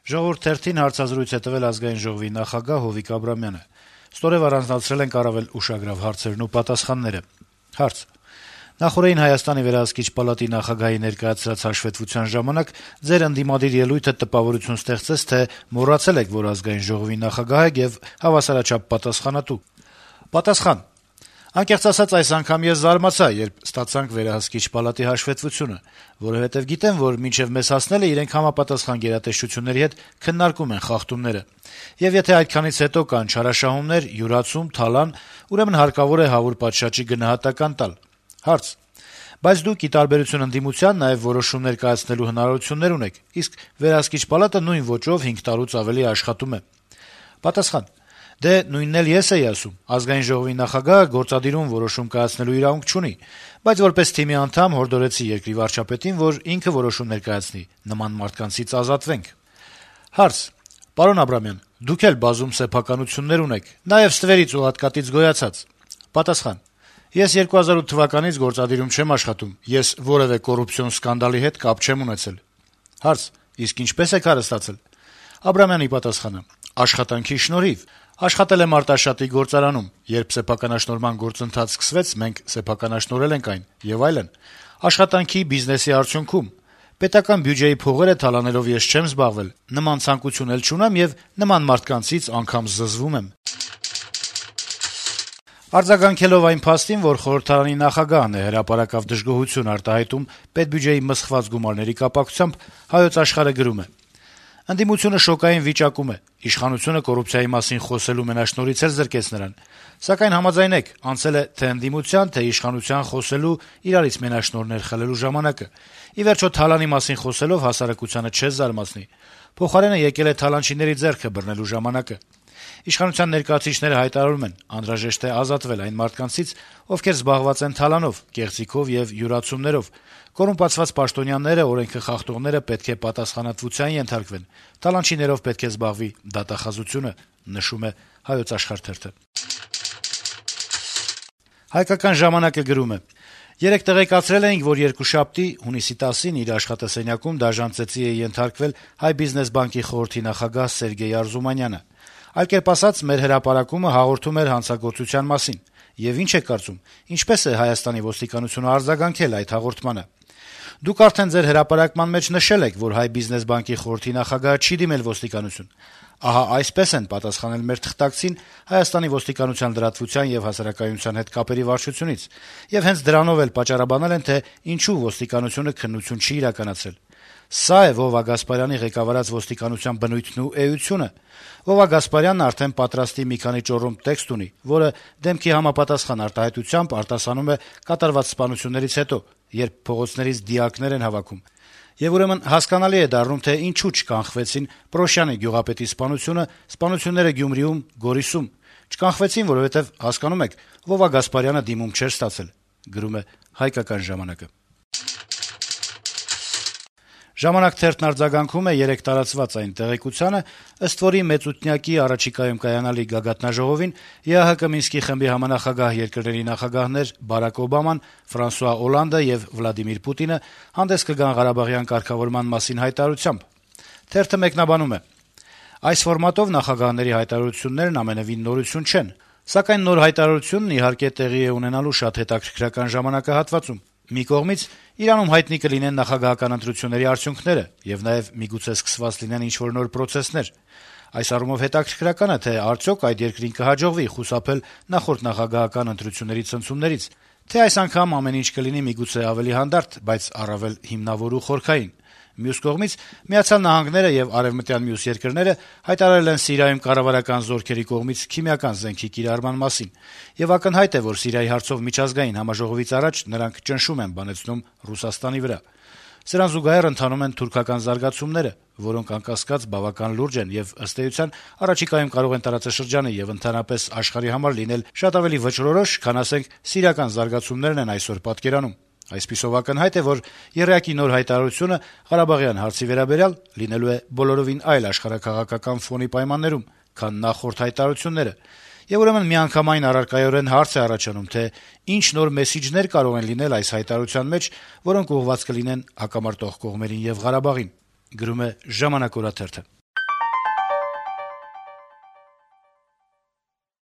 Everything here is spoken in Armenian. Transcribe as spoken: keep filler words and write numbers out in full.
Ժողովուրդ թերթին հարցազրույց է տվել Ազգային ժողովի նախագահ Հովիկ Աբրամյանը: Ստորև առանձնացրել ենք առավել ուշագրավ հարցերն ու պատասխանները: Հարց. - Նախօրեին Հայաստանի վերահսկիչ պալատի նախագահի ներկայացրած հաշվետվության ժամանակ ձեր ընդդիմադիր ելույթը տպավորություն ստեղծեց, թե մոռացել եք, որ Ազգային ժողովի նախագահ եք եւ հավասարաչափ պատասխանատու: Պատասխան. - Անկեղծ ասած, այս անգամ ես զարմացա, երբ ստացանք վերահսկիչ պալատի հաշվետվությունը, որովհետեւ գիտեմ, որ մինչեւ մեզ հասնելը իրենք համապատասխան գերատեսչությունների հետ քննարկում են խախտումները: Եվ եթե այդքանից հետո կան չարաշահումներ, յուրացում, թալան, ուրեմն հարկավոր է հավուր պատշաճի գնահատական տալ: Հարց. - Բայց դուք, ի տարբերություն ընդդիմության, նաեւ որոշումներ կայացնելու հնարավորություններ ունեք, իսկ վերահսկիչ պալատը նույն ոճով հինգ տարուց ավելի աշխատում է: Պատասխան. - Դե, նույնն էլ ես էի ասում: Ազգային ժողովի նախագահը գործադիրում որոշում կայացնելու իրավունք չունի, բայց որպես թիմի անդամ հորդորեցի երկրի վարչապետին, որ ինքը որոշումներ կայացնի: Նման մարդկանցից ազատվենք: Հարց. - Պարոն Աբրամյան, դուք էլ բազում սեփականություններ ունեք, նաեւ ստվերից ու հատկատից գոյացած: Պատասխան. - Ես երկու հազար ութ թվականից գործադիրում չեմ աշխատում, ես որեւէ կոռուպցիոն սկանդալի հետ կապ չեմ ունեցել: Հարց. - Իսկ ինչպե՞ս եք հարստացել: Աբրամյանի պատասխանը. - Աշխատանքի շնորհիվ: Աշխատել եմ Արտաշատի գործարանում: Երբ սեփականաշնորհման գործընթաց սկսվեց, մենք սեփականաշնորհել ենք այն եւ այլն: Աշխատանքի, բիզնեսի արդյունքում: Պետական բյուջեի փողերը թալանելով ես չեմ զբաղվել: Նման ցանկություն էլ չունեմ եւ նման մարդկանցից անգամ զզվում եմ: Արձագանքելով այն փաստին, որ խորհրդարանի նախագահն է հրապարակավ դժգոհություն արտահայտում պետբյուջեի մսխված գումարների կապակցությամբ, «Հայոց Աշխարհ»-ը գրում է. - «Ընդդիմությունը շոկային վիճակում է: Իշխանությունը կոռուպցիայի մասին խոսելու մենաշնորհից էլ զրկեց նրան: Սակայն համաձայնեք, անցել է թե ընդդիմության, թե իշխանության խոսելու, իրարից մենաշնորհներ խլելու ժամանակը: Ի վերջո, թալանի մասին խոսելով հասարակությանը չես զարմացնի: Փոխարենը եկել է թալանչիների ձեռքը բռնելու ժամանակը: Իշխանության ներկայացուցիչները հայտարարում են. անհրաժեշտ է ազատվել այն մարդկանցից, ովքեր զբաղված են թալանով, կեղծիքով եւ յուրացումներով: Կոռումպացված պաշտոնյաները, օրենքը խախտողները պետք է պատասխանատվության ենթարկվեն: Թալանչիներով պետք է զբաղվի դատախազությունը»: «Հայկական ժամանակ»-ը գրում է. - «Երեկ տեղեկացրել էինք, որ երկուշաբթի՝ հունիսի տասին իր աշխատասենյակում դաժան ծեծի է ենթարկվել Հայ բիզնես բանկի խորհրդի նախագահ Սերգեյ Արզումանյանը: Այլ կերպ ասած, մեր հրապարակումը հաղորդում էր հանցագործության մասին: Եվ ի՞նչ եք կարծում, ինչպե՞ս է Հայաստանի ոստիկանությունը արձագանքել այդ հաղորդմանը: Դուք արդեն ձեր հրապարակման մեջ նշել եք, որ Հայ բիզնես բանկի խորհրդի նախագահը չի դիմել ոստիկանություն: Ահա այսպես են պատասխանել մեր թղթակցին Հայաստանի ոստիկանության լրատվության եւ հասարակայնության հետ կապերի վարչությունից: Եվ հենց դրանով էլ պատճառաբանել են, թե ինչու ոստիկանությունը քննություն չի իրականացրել: Սա է Վովա Գասպարյանի ղեկավարած ոստիկանության բնույթն ու էությունը: Վովա Գասպարյանն արդեն պատրաստի մի քանի ճոռոմ տեքստ ունի, որը դեմքի համապատասխան արտահայտությամբ արտասանում է կատարված սպանություններից հետո, երբ փողոցներից դիակներ են հավաքում: Եվ ուրեմն հասկանալի է դառնում, թե ինչու չկանխվեցին Պրոշյանի գյուղապետի սպանությունը, սպանությունները Գյումրիում, Գորիսում: Չկանխվեցին, որովհետեւ, հասկանում եք, Վովա Գասպարյանը դիմում չէր ստացել»: «Ժամանակ» թերթն արձագանքում է երեկ տարածված այն տեղեկությանը, ըստ որի մեծութնյակի առաջիկայում կայանալի գագաթնաժողովին ԵԱՀԿ Մինսկի խմբի համանախագահ երկրների նախագահներ Բարակ Օբաման, Ֆրանսուଆ Օլանդը եւ Վլադիմիր Պուտինը հանդես կգան Ղարաբաղյան կարգավորման մասին հայտարարությամբ: Թերթը մեկնաբանում է. - «Այս ֆորմատով նախագահների հայտարարություններն ամենեւին նորություն չեն: Սակայն նոր հայտարարությունն, իհարկե, տեղի է ունենալու շատ հետաքրքրական ժամանակահատվածում: Մի կողմից, Իրանում հայտնի կլինեն նախագահական ընտրությունների արդյունքները, եւ նաեւ միգուցե սկսված լինեն ինչ-որ նոր պրոցեսներ: Այս առումով հետաքրքրական է, թե արդյոք այդ երկրին կհաջողվի խուսափել նախորդ նախագահական ընտրությունների ցնցումներից, թե այս անգամ ամեն ինչ կլինի միգուցե ավելի հանդարտ, բայց առավել հիմնավոր ու խորքային: Մյուս կողմից, Միացյալ Նահանգները եւ արեւմտյան մյուս երկրները հայտարարել են Սիրիայում կառավարական զորքերի կողմից քիմիական զենքի կիրառման մասին, եւ ակնհայտ է, որ Սիրիայի հարցով միջազգային համաժողովից առաջ նրանք ճնշում են բանեցնում Ռուսաստանի վրա: Սրան զուգահեռ ընթանում են թուրքական զարգացումները, որոնք անկասկած բավական լուրջ են եւ, ըստ էության, առաջիկայում կարող են տարածաշրջանի եւ ընդհանրապես աշխարհի համար լինել շատ ավելի վճռորոշ, քան, ասենք, սիրիական զարգացումներն են այսօր պատկերանում: Այսպիսով, ակնհայտ է, որ եռյակի նոր հայտարարությունը Ղարաբաղյան հարցի վերաբերյալ լինելու է բոլորովին այլ աշխարհաքաղաքական ֆոնի պայմաններում, քան նախորդ հայտարարությունները: Եվ ուրեմն միանգամայն առարկայորեն հարց է առաջանում, թե ինչ նոր մեսիջներ կարող են լինել այս հայտարարության մեջ, որոնք ուղղված կլինեն հակամարտող կողմերին եւ Ղարաբաղին»: